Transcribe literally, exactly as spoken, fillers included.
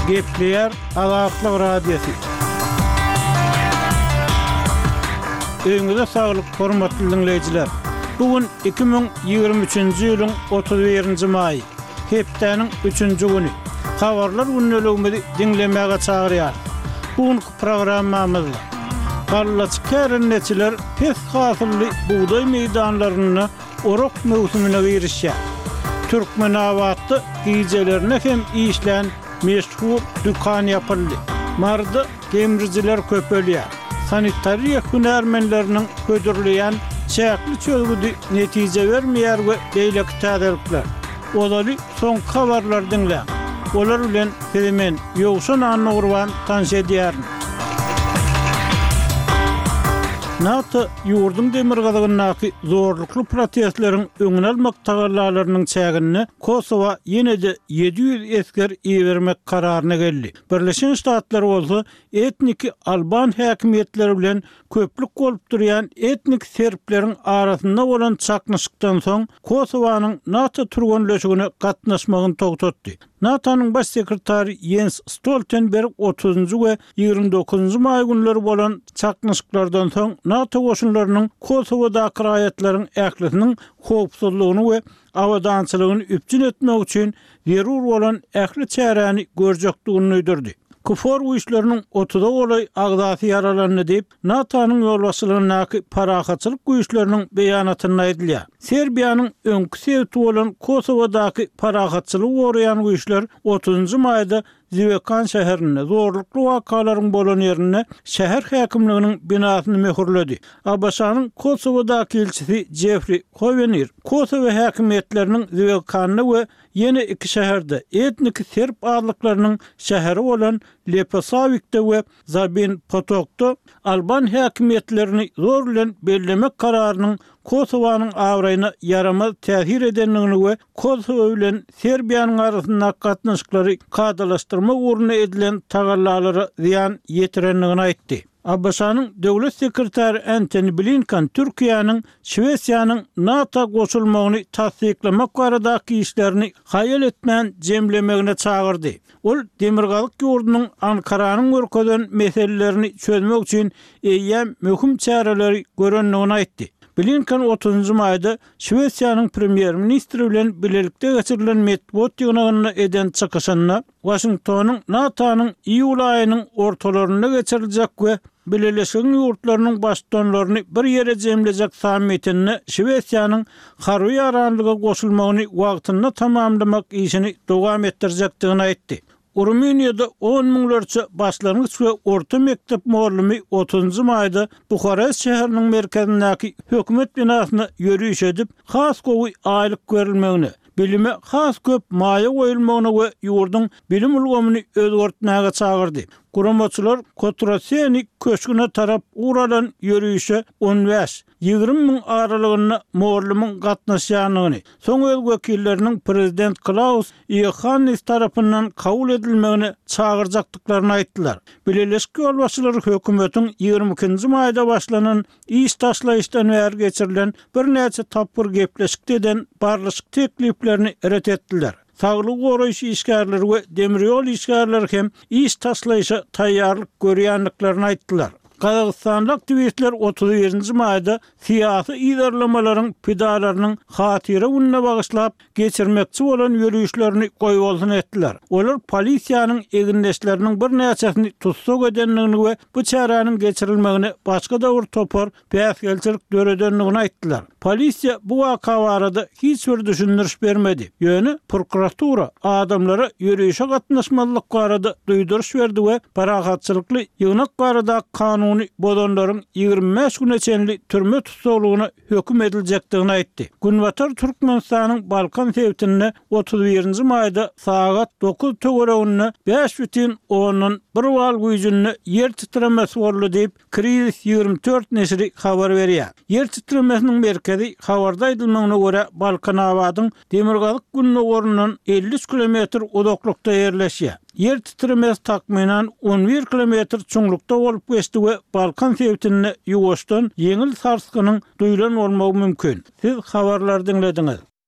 Gepleýär Azatlyk Radiosy. Öýüňize saglyk, hormatly diňleýjiler! Bu gün iki müň ýigrimi üçünji ýylyň otuz birinji maýy, hepdäniň üçünji güni. Habarlar gündeligimizi diňlemäge çagyrýarys. Bu günki programmamyzda gallaçy kärendeçiler pes hasylly bugdaý meýdanlarynda orak möwsümine girişýär. Türkmenabatda gijelerine hem işlän meşhur dükan ýapyldy. Maryda gemrijiler köpelýär. Sanitariýa hünärmenleriniň hödürleýän çäkli çözgüdi netije bermeýär we beýleki täzelikler. Ozaly soňky habarlary diňläň. Olar bilen sizi men, Ýowşan Annagurban tanyş edýärin. NATO ýurduň demirgazygyndaky zorlukly protestleriň öňüni almak tagallalarynyň çäginde Kosowa ýene-de ýedi ýüz esger ibermek kararyna geldi. Birleşen Ştatlar bolsa etniki alban häkimiýetleri bilen köplük bolup durýan etnik serbleriň arasynda bolan çaknyşykdan soň Kosowanyň NATO türgenleşigine gatnaşmagyny togtatdy. NATO-nyň baş sekretary Ýens Stoltenberg otuzynjy we ýigrimi dokuzynjy maý günleri bolan çaknyşyklardan soň NATO goşunlarynyň Kosowadaky raýatlaryň ählisiniň howpsuzlygyny we abadançylygyny üpjün etmek üçin zerur bolan ähli çäräni görjekdigini duýdurdy. KFOR güýçleriniň otuza golaý agzasy ýaralandy diýip, NATO-nyň ýolbaşçylygyndaky parahatçylyk güýçleriniň beýanatynda aýdylýar. Serbiýanyň öňki sebiti bolan Kosowadaky parahatçylygy goraýan güýçler otuzynjy maýda Zwekan şäherinde zorlukly wakalaryň bolan ýerinde şäher häkimliginiň binasyny möhürledi. ABŞ-nyň Kosowadaky ilçisi Jeffri Howenir Kosowa häkimiýetleriniň Zwekanda we ýene iki şäherde, etniki serb azlyklarynyň şäheri bolan Leposawikde we Zabin Potokda alban häkimiýetlerini zor bilen bellemek kararynyň Kosowanyň abraýyna ýaramaz täsir edendigini we Kosowa bilen Serbiýanyň arasyndaky gatnaşyklary kadalaşdyrmak ugrunda edilen tagallalara zyýan ýetirendigini aýtdy. ABŞ-nyň Döwlet sekretary Entoni Blinken Türkiýäniň Şwesiýanyň NATO goşulmagyny tassyklamak baradaky işlerini haýal etmän jemlemegine çagyrdy. Ol demirgazyk ýurdunyň Ankaranyň görkezen meselelerini çözmek üçin eýýäm möhüm çäreleri görendigini aýtdy. Blinken otuzynjy maýda Şwesiýanyň premýer-ministri bilen bilelikde geçirilen metbugat ýygnagynda eden çykyşynda Waşingtonyň NATO-nyň iýul aýynyň ortalarynda geçiriljek we Bileleşigiň ýurtlarynyň baştutanlaryny bir ýere jemlejek sammitinde Şwesiýanyň harby ýaranlyga goşulmagyny wagtynda tamamlamak işini dowam etdirjekdigini aýtdy. Rumyniýada on müňlerçe başlangyç we orta mekdep mugallymy otuzynjy maýda Buharest şäheriniň merkezindäki hökümet binasyna ýöriş edip, has gowy aýlyk berilmegine, bilime has köp maýa goýulmagyna we ýurduň bilim ulgamyny özgertmäge çagyrdy. Guramaçylar Kotroseni köşgüne tarap ugur alan ýörişe on bäş, ýigrimi müň aralygynda mugallymyň gatnaşýandygyny, soň öz wekilleriniň prezident Klaus Iohannis tarapyndan kabul edilmegine çagyrjakdyklaryny aýtdylar. Bileleşik ýolbaşçylary hökümetiň ýigrimi ikinji maýda başlanan iş taşlaýyşdan bäri geçirilen birnäçe tapgyr gepleşikde eden barlyşyk tekliplerini ret etdiler. Saglygy goraýyş işgärleri we demir ýol işgärleri hem iş taşlaýyşa taýýarlyk görýändiklerini aýtdylar. Gazagystanly aktiwistler otuz birinji maýda syýasy yzarlamalaryň pidalarynyň hatyra gününe bagyşlap geçirmekçi bolan ýörişlerini goýbolsun etdiler. Olar polisiýanyň egindeşleriniň birnäçesini tussag edendigini we bu çäräniň geçirilmegine başga-da bir topar päsgelçilik döredendigini aýtdylar. Polisiýa bu waka barada hiç bir düşündiriş bermedi. Ýöne prokuratura adamlara ýörişe gatnaşmazlyk barada duýduryş berdi we parahatçylykly ýygnak baradaky kanuny bozanlaryň ýigrimi bäş güne çenli türme tussaglygyna höküm ediljekdigini aýtdy. Günbatar Türkmenistanyň Balkan sebitinde otuz birinji maýda sagat dokuz töwereginde bäş bütin ondan bir bal güýjünde ýer titremesi boldy diýip, Krizis ýigrimi dört neşiri habar berýär. Ýer titremesiniň merkezi, habarda aýdylmagyna görä, Balkanabadyň demirgazyk-gündogaryndan elli üç kilometr uzaklykda ýerleşýär. Ýer titremesi takmynan on bir kilometr çuňlukda bolup geçdi we Balkan sebitinde ýuwaşdan ýeňil sarsgynyň duýlan bolmagy mümkin. Siz habarlary diňlediňiz.